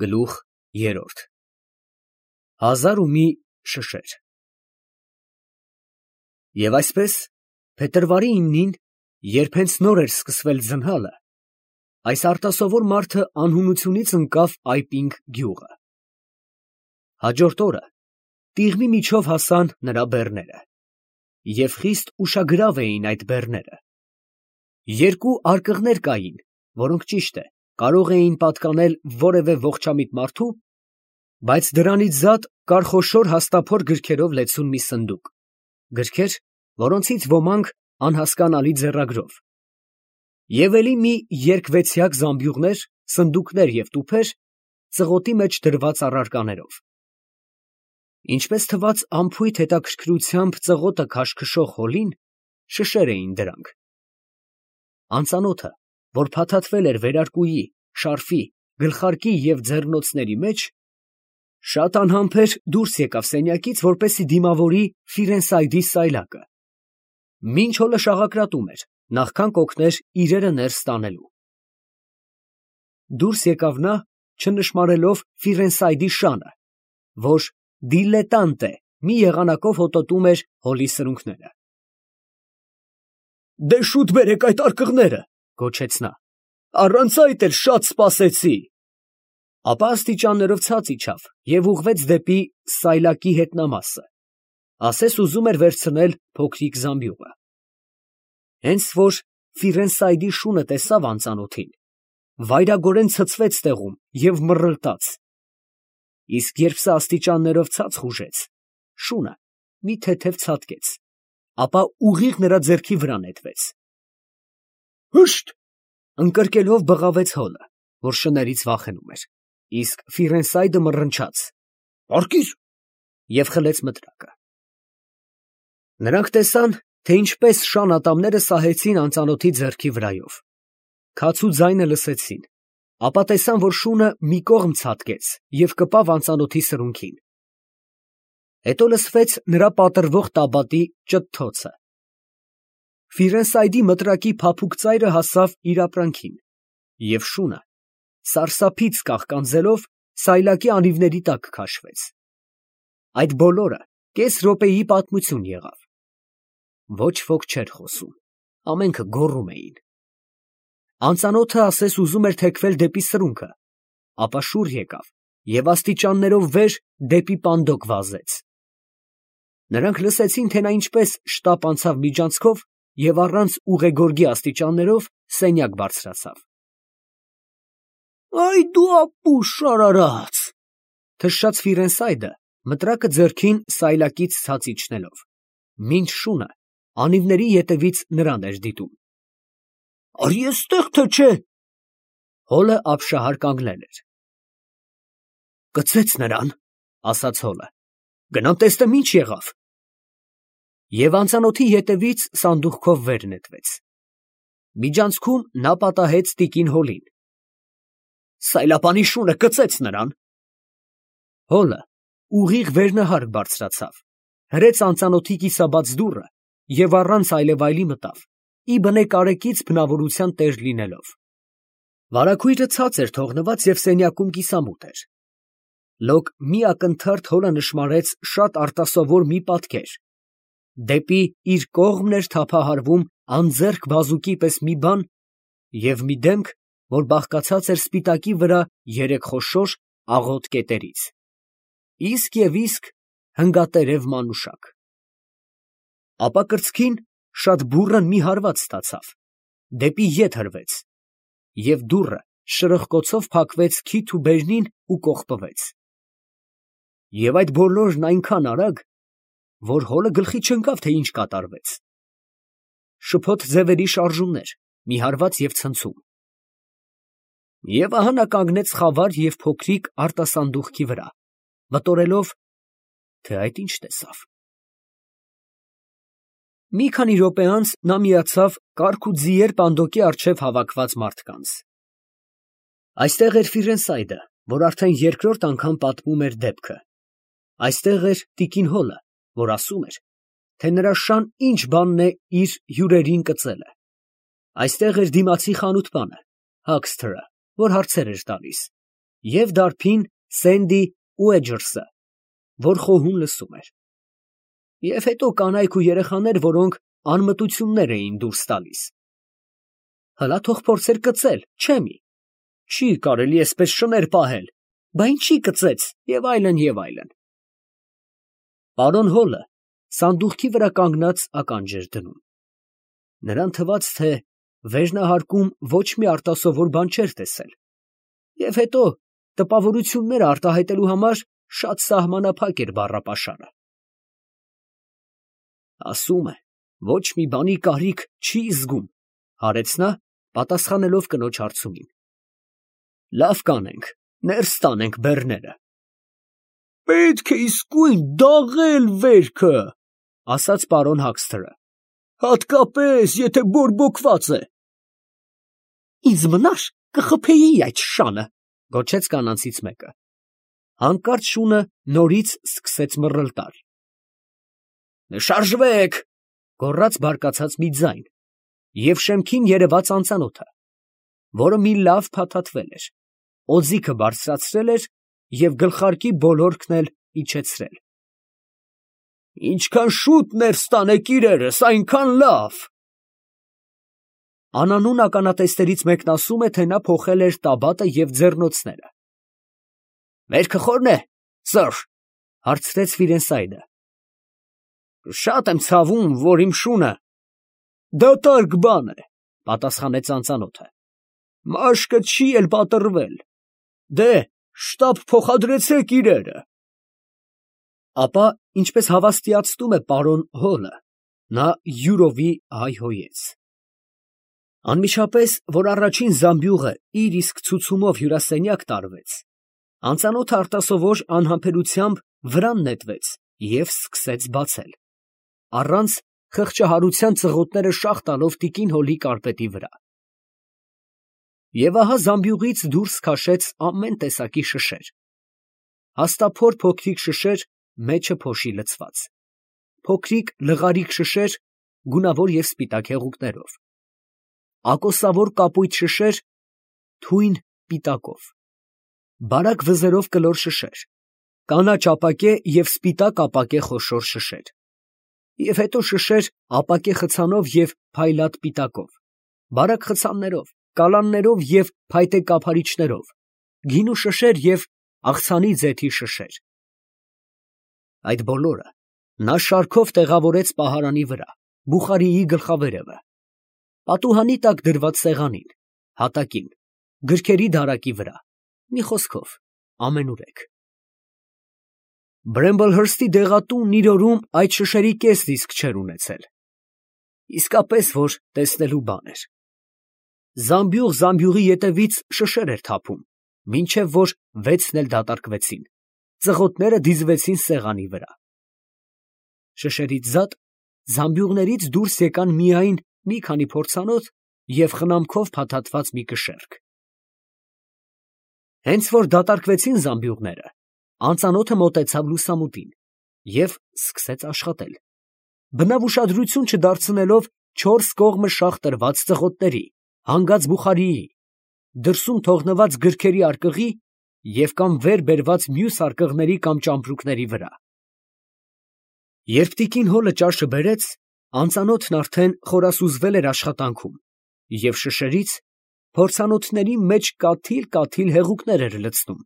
Գլուխ երրորդ Հազար ու մի շշեր։ Եվ այսպես, փետրվարի 9-ին, երբ հենց նոր էր սկսվել ձնհալը, այս արտասովոր մարդը անհունությունից ընկավ Այպինգ գյուղը։ Հաջորդ օրը տիղմի միջով հասան նրա բեռները, և խիստ ուշագրավ էին այդ բեռները։ Երկու արկղներ կային, որոնք ճիշտ է, կարող էին պատկանել որևէ ողջամիտ մարդու, բայց դրանից զատ կար խոշոր հաստափոր գրքերով լեցուն մի սնդուկ, գրքեր, որոնցից ոմանք անհասկանալի ձեռագրով, և էլի մի երկվեցյակ զամբյուղներ, սնդուկներ և տուփեր, ծղոտի մեջ դրված առարկաներով։ Ինչպես թվաց անփույթ հետաքրքրությամբ ծղոտը քաշքշող հոլին, շշեր էին դրանք։ Անծանոթը, որ փաթաթվել էր վերարկուի, շարֆի, գլխարկի և ձեռնոցների մեջ, շատ անհամբեր դուրս եկավ սենյակից, որպեսզի դիմավորի Ֆիրենսայդի սայլակը, մինչ հոլը շաղակրատում էր, նախքան կօգներ իրերը ներս տանելու։ Դուրս եկավ նա, չնշմարելով Ֆիրենսայդի շանը, որ դիլետանտե մի եղանակով հոտոտում էր հոլի սրունքները։ «Դե շուտ բերեք այդ արկղները», ֊ գոչեց նա, «առանց այդ էլ շատ սպասեցի»։ Ապա աստիճաններով ցած իջավ և ուղղվեց դեպի սայլակի հետնամասը, ասես ուզում էր վերցնել փոքրիկ զամբյուղը։ Հենց որ Ֆիրենսայդի շունը տեսավ անծանոթին, վայրագորեն ցցվեց տեղում և մռլտաց, իսկ երբ սա աստիճաններով ցած խուժեց, շունը մի թեթև ցատկեց, ապա ուղիղ նրա ձեռքի վրա նետվեց։ «Հըշտ», ֊ ընկրկելով բղավեց հոլը, որ շներից վախենում էր, իսկ Ֆիրենսայդը մռնչաց. «Պառկիր», և խլեց մտրակը։ Նրանք տեսան, թե ինչպես շան ատամները սահեցին անծանոթի ձեռքի վրայով, քացու ձայնը լսեցին, ապա տեսան, որ շունը մի կողմ ցատկեց և կպավ անծանոթի սրունքին։ Հետո լսվեց նրա պատռվող տաբատի ճթթոցը։ Ֆիրենսայդի մտրակի փափուկ ծայրը հասավ իր ապրանքին, և շունը, սարսափից կաղկանձելով, սայլակի անիվների տակ քաշվեց։ Այդ բոլորը կես րոպեի պատմություն եղավ։ Ոչ ոք չէր խոսում, ամենքը գոռում էին։ Անծանոթը ասես ուզում էր թեքվել դեպի սրունքը, ապա շուռ եկավ և աստիճաններով վեր դեպի պանդոկ վազեց։ Նրանք լսեցին, թե նա ինչպես շտապ անցավ միջանցքով և առանց ուղեգորգի աստիճաններով սենյակ բարձրացավ։ «Այ դու ապուշ արարած», ֊ թշաց Ֆիրենսայդը, մտրակը ձեռքին սայլակից ցած իջնելով, մինչ շունը անիվների ետևից նրան էր դիտում։ «Արի էստեղ, թե չէ»։ Հոլը ապշահար կանգնել էր։ «Կծեց նրան», ֊ ասաց հոլը, «գնամ տեսնեմ ինչ եղավ»։ Եվ անծանոթի ետևից սանդուղքով վեր նետվեց։ Միջանցքում նա պատահեց տիկին հոլին։ «Սայլապանի շունը կծեց նրան»։ Հոլը ուղիղ վերնահարկ բարձրացավ, հրեց անծանոթի կիսաբաց դուռը և առանց այլևայլի մտավ, ի բնե կարեկից բնավորության տեր լինելով։ Վարագույրը ցած էր թողնված և սենյակում կիսամութ էր։ Լոկ մի ակնթարթ հոլը նշմարեց շատ արտասովոր մի պատկեր, դեպի իր կողմն էր թափահարվում անձեռք բազուկի պես մի բան և մի դեմք, որ բաղկացած էր սպիտակի վրա երեք խոշոր աղոտ կետերից, իսկ և իսկ հնգատերև մանուշակ։ Ապա կրծքին շատ բուռն մի հարված ստացավ, դեպի ետ հրվեց, և դուռը շրխկոցով փակվեց քիթ ու բերնին ու կողպվեց։ Եվ այդ բոլորն այնքան արագ, որ հոլը գլխի չընկավ, թե ինչ կատարվեց։ Շփոթ ձևերի շարժումներ, մի հարված և ցնցում։ Եվ ահա նա կանգնեց խավար և փոքրիկ արտասանդուղքի վրա, մտորելով, թե այդ ինչ տեսավ։ Մի քանի րոպե անց նա միացավ կառք ու ձիեր պանդոկի առջև հավաքված մարդկանց։ Այստեղ էր Ֆիրենսայդը, որ արդեն երկրորդ անգամ պատմում էր դեպքը։ Այստեղ էր տիկին հոլը, որ ասում էր, թե նրա շան ինչ բանն է իր հյուրերին կծելը։ Այստեղ էր դիմացի խանութպանը, Հաքսթերը, որ հարցեր էր տալիս, և դարբին Սենդի ու Էջերսը, որ խոհուն լսում էր։ Եվ հետո կանայք ու երեխաներ, որոնք անմտություններ էին դուրս տալիս։ Հլա թող փորձեր կծել, չէ՞ մի։ Չի կարելի էսպես շներ պահել, բա ինչի կծեց, և այլն, և այլն։ Պարոն Հոլը սանդուղքի վրա կանգնած ականջ էր դնում։ Նրան թվաց, թե վերնահարկում ոչ մի արտասովոր բան չէր տեսել, և հետո տպավորությունները արտահայտելու համար շատ սահմանափակ էր բառապաշարը։ Ասում է, ոչ մի բանի կարիք չի զգում, հարեց նա, պատասխանելով կնոջ հարցումին։ Լավ կանենք, ներս տանենք բեռները։ Պետք է իսկույն դաղել վերքը, ասաց պարոն Հաքսթերը, հատկապես, եթե բորբոքված է։ Ինձ մնար կխփեի այդ շանը, գոչեց կանանցից մեկը։ Հանկարծ շունը նորից սկսեց մռլտալ։ Շարժվեք, գոռաց բարկացած մի ձայն, և շեմքին երևաց անծանոթը, որը մի լավ փաթաթվել էր, օձիքը բարձրացրել էր և գլխարկի բոլորքն էլ իջեցրել։ Ինչքան շուտ ներս տանեք իրերս, այնքան լավ։ Անանուն ականատեսներից մեկն ասում է, թե նա փոխել էր տաբատը և ձեռնոցները։ Վերքը խորն է, սըր, հարցրեց Ֆիրենսայդը։ Շատ եմ ցավում, որ իմ շունը դատարկ բան է, պատասխանեց անծանոթը։ Մաշկը չի էլ պատռվել։ Դե, շտապ փոխադրեցեք իրերը։ Ապա, ինչպես հավաստիացնում է պարոն Հոլը, նա յուրովի հայհոյեց։ Անմիջապես, որ առաջին զամբյուղը իր իսկ ցուցումով հյուրասենյակ տարվեց, անծանոթը արտասովոր անհամբերությամբ վրան նետվեց և սկսեց բացել, առանց խղճահարության ծղոտները շաղ տալով տիկին Հոլի կարպետի վրա։ Եվ ահա զամբյուղից դուրս քաշեց ամեն տեսակի շշեր, հաստափոր փոքրիկ շշեր, մեջը փոշի լցված, փոքրիկ լղարիկ շշեր, գունավոր և սպիտակ հեղուկներով, ակոսավոր կապույտ շշեր, թույն պիտակով, բարակ վզերով կլոր շշեր, կանաչ ապակե և սպիտակ ապակե խոշոր շշեր, և հետո շշեր ապակե խցանով և փայլատ պիտակով, բարակ խցաններով, կալաններով և փայտե կափարիչներով, գինու շշեր և աղցանի ձեթի շշեր։ Այդ բոլորը նա շարքով տեղավորեց պահարանի վրա, բուխարիի գլխավերևը, պատուհանի տակ դրված սեղանին, հատակին, գրքերի դարակի վրա, մի խոսքով, ամենուրեք։ Բրեմբլհըրսթի դեղատունն իր օրում այդ շշերի կեսն իսկ չէր ունեցել։ Իսկապես, որ տեսնելու բան էր։ Զամբյուղ զամբյուղի ետևից շշեր էր թափում, մինչև որ վեցն էլ դատարկվեցին, ծղոտները դիզվեցին սեղանի վրա։ Շշերից զատ զամբյուղներից դուրս եկան միայն մի քանի փորձանոթ և խնամքով փաթաթված մի կշեռք։ Հենց որ դատարկվեցին զամբյուղները, անծանոթը մոտեցավ լուսամուտին և սկսեց աշխատել, բնավ ուշադրություն չդարձնելով չորս կողմը շաղ տրված ծղոտների, հանգած բուխարիի, դրսում թողնված գրքերի արկղի և կամ վեր բերված մյուս արկղների կամ ճամպրուկների վրա։ Երբ տիկին Հոլը ճաշը բերեց, անծանոթն արդեն խորասուզվել էր աշխատանքում և շշերից փորձանոթների մեջ կաթիլ հեղուկներ էր լցնում,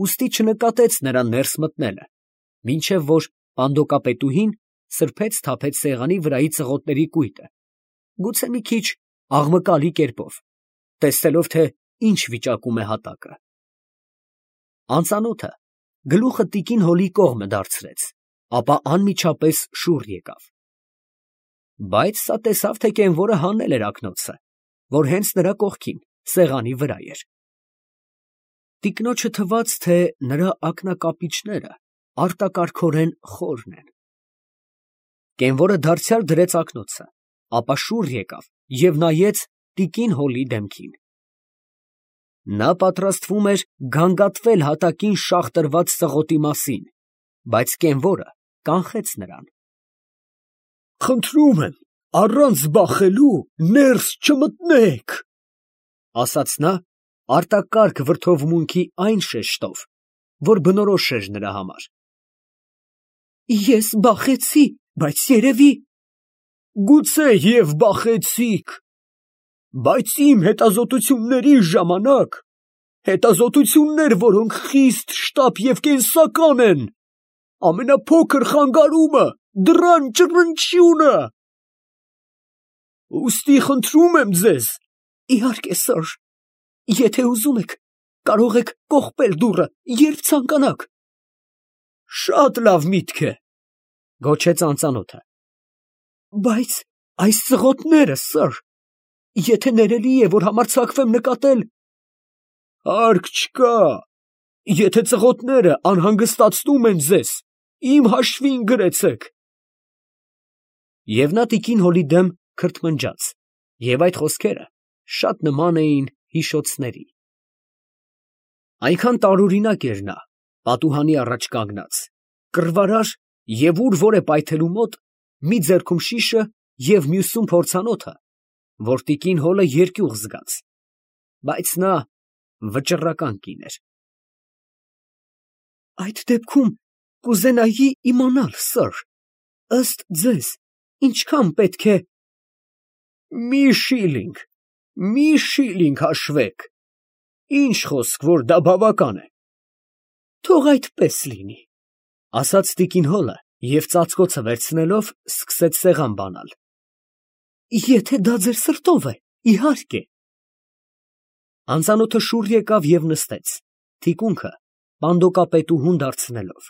ուստի չնկատեց նրան ներս մտնելը, մինչև որ պանդոկապետուհին սրբեց թափեց սեղանի վրայի ծղոտների կույտը, գուցե մի քիչ աղմկալի կերպով, տեսնելով, թե ինչ վիճակում է հատակը։ Անծանոթը գլուխը տիկին Հոլի կողմը դարձրեց, ապա անմիջապես շուռ եկավ։ Բայց սա տեսավ, թե կենվորը հանել էր ակնոցը, որ հենց նրա կողքին, սեղանի վրա էր։ Տիկնոջը թվաց, թե նրա ակնակապիճները արտակարգորեն խորն են։ Կենվորը դարձյալ դրեց ակնոցը, ապա շուռ եկավ և նայեց տիկին Հոլի դեմքին։ Նա պատրաստվում էր գանգատվել հատակին շաղ տրված ծղոտի մասին, բայց կենվորը կանխեց նրան։ Խնդրում եմ, առանց բախելու ներս չմտնեք, ասաց նա արտակարգ վրդովմունքի այն շեշտով, որ բնորոշ էր նրա համար։ Ես բախեցի, բայց երևի… Գուցե և բախեցիք, բայց իմ հետազոտությունների ժամանակ, հետազոտություններ, որոնք խիստ շտապ և կենսական են, ամենափոքր խանգարումը, դռան ճռնչյունը… Ուստի խնդրում եմ ձեզ… Իհարկե, սըր, եթե ուզում եք, կարող եք կողպել դուռը, երբ ցանկանաք։ Շատ լավ միտք է, գոչեց անծանոթը։ Բայց այս ծղոտները, սըր, եթե ներելի է, որ համարձակվեմ նկատել… Հարկ չկա, եթե ծղոտները անհանգստացնում են ձեզ, իմ հաշվին գրեցեք։ Եվ նա տիկին Հոլի դեմ քրթմնջաց, և այդ խոսքերը շատ նման էին հիշոցների։ Այնքան տարօրինակ էր նա, պատուհանի առաջ կանգնած, կռվարար և ուր որ է պայթելու մոտ, մի ձեռքում շիշը և մյուսում փորձանոթը, որ տիկին Հոլը երկյուղ զգաց, բայց նա վճռական կին էր։ Այդ դեպքում կուզենայի իմանալ, սըր, ըստ ձեզ, ինչքան պետք է… Մի շիլինգ հաշվեք, ինչ խոսք, որ դա բավական է։ Թող այդպես լինի, ասաց տիկին Հոլը և ծածկոցը վերցնելով սկսեց սեղան բանալ։ Եթե դա ձեր սրտով է, իհարկե։ Անծանոթը շուռ եկավ և նստեց, թիկունքը պանդոկապետուհուն դարձնելով։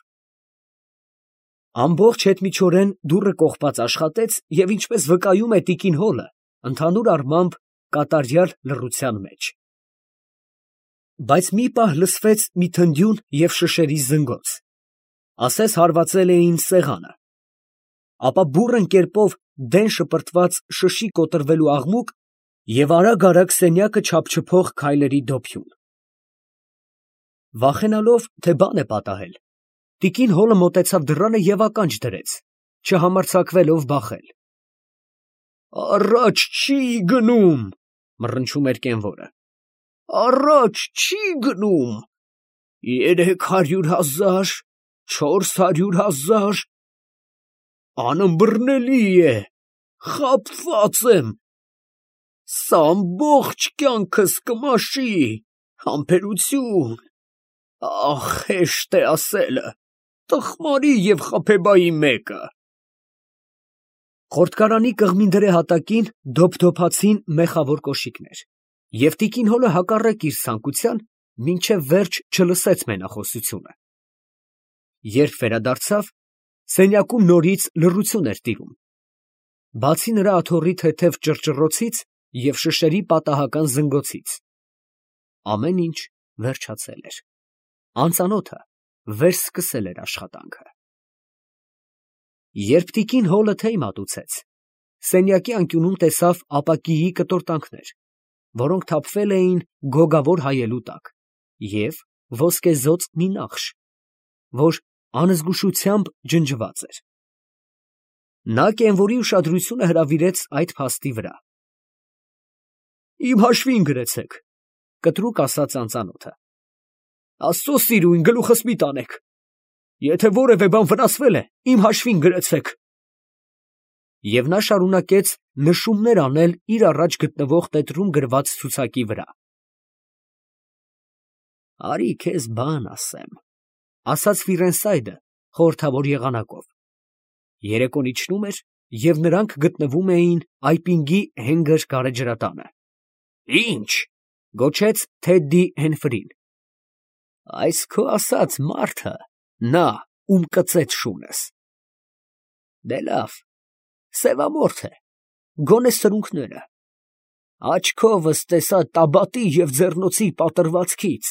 Ամբողջ հետմիջօրեն դուռը կողպած աշխատեց և ինչպես վկայում է տիկին Հոլը, ընդհանուր առմամբ կատարյալ լռության մեջ։ Բայց մի պահ լսվեց մի թնդյուն և շշերի զնգոց, ասես հարվածել էին սեղանը, ապա բուռն կերպով դեն շպրտված շշի կոտրվելու աղմուկ և արագ սենյակը չափչփող քայլերի դոփյուն։ Վախենալով, թե բան է պատահել, տիկին Հոլը մոտեցավ դռանը և ականջ դրեց, չհամարձակվելով բախել։ Առաջ չի գնում, մռնչում էր կենվորը։ Առաջ չի գնում, 300,000, 400,000… Անըմբռնելի է, խաբված եմ, սա ամբողջ կյանքս կմաշի, համբերություն… Ահ, հեշտ է ասելը, տխմարի և խաբեբայի մեկը… Խորտկարանի կղմինդրե հատակին դոփդոփացին մեխավոր կոշիկներ, և տիկին Հոլը հակառակ իր ցանկության մինչև վերջ չլսեց մենախոսությունը։ Երբ վերադարձավ, սենյակում նորից լռություն էր տիրում, բացի նրա աթոռի թեթև ճռճռոցից և շշերի պատահական զնգոցից, ամեն ինչ վերջացել էր, անծանոթը վերսկսել էր աշխատանքը։ Երբ տիկին Հոլը թեյ մատուցեց, սենյակի անկյունում տեսավ ապակիի կտորտանքներ, որոնք թափվել էին գոգավոր հայելու տակ, և ոսկեզօծ մի նախշ, որ անզգուշությամբ ջնջված էր։ Նա կենվորի ուշադրությունը հրավիրեց այդ փաստի վրա։ Իմ հաշվին գրեցեք, կտրուկ ասաց անծանոթը։ Աստծո սիրուն, գլուխս մի տանեք, եթե որևէ բան վնասվել է, իմ հաշվին գրեցեք։ Եվ նա շարունակեց նշումներ անել իր առաջ գտնվող տետրում գրված ցուցակի վրա։ Արի քեզ բան ասեմ, ասաց Ֆիրենսայդը խորհրդավոր եղանակով։ Երեկոն իջնում էր, և նրանք գտնվում էին Այպինգի Հենգր գարեջրատանը։ Ի՞նչ, գոչեց Թեդդի Հենֆրին։ Այս քո ասած մարդը, նա, ում կծեց շունս։ Դե լավ, սևամորթ է, գոնե սրունքները, աչքովս տեսա Տաբատի և ձեռնոցի պատռվածքից։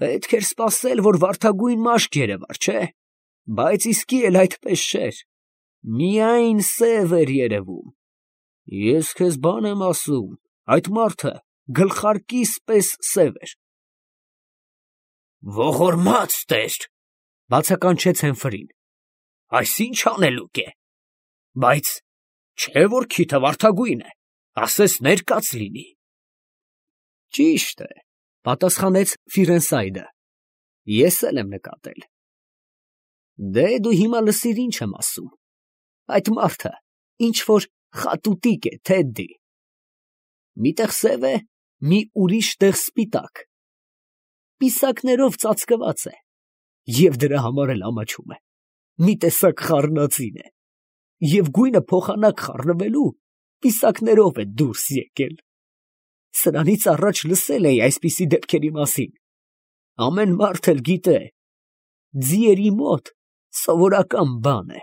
Պետք էր սպասել, որ վարդագույն մաշկ երևար, չէ՞, բայց իսկի էլ այդպես չէր, միայն սև էր երևում։ Ես քեզ բան եմ ասում, այդ մարդը գլխարկիս պես սև էր։ Ողորմած Տեր, բացականչեց Հենֆրին, այս ի՞նչ անելուկ է, բայց չէ որ քիթը վարդագույն է, ասես ներկած լինի։ Ճիշտ է, պատասխանեց Ֆիրենսայդը։ Ես էլ եմ նկատել։ Դե դու հիմա լսիր ինչ եմ ասում։ Այդ մարդը ինչ որ խատուտիկ է, Թեդդի։ Մի տեղ սև է, մի ուրիշ տեղ սպիտակ։ Պիսակներով ծածկված է և դրա համար էլ ամաչում է։ Մի տեսակ խառնածին է և գույնը փոխանակ խառնվելու պիսակներով է դուրս եկել։ Սրանից առաջ լսել էի այսպիսի դեպքերի մասին։ Ամեն մարդ էլ գիտե, ձիերի մոտ սովորական բան է։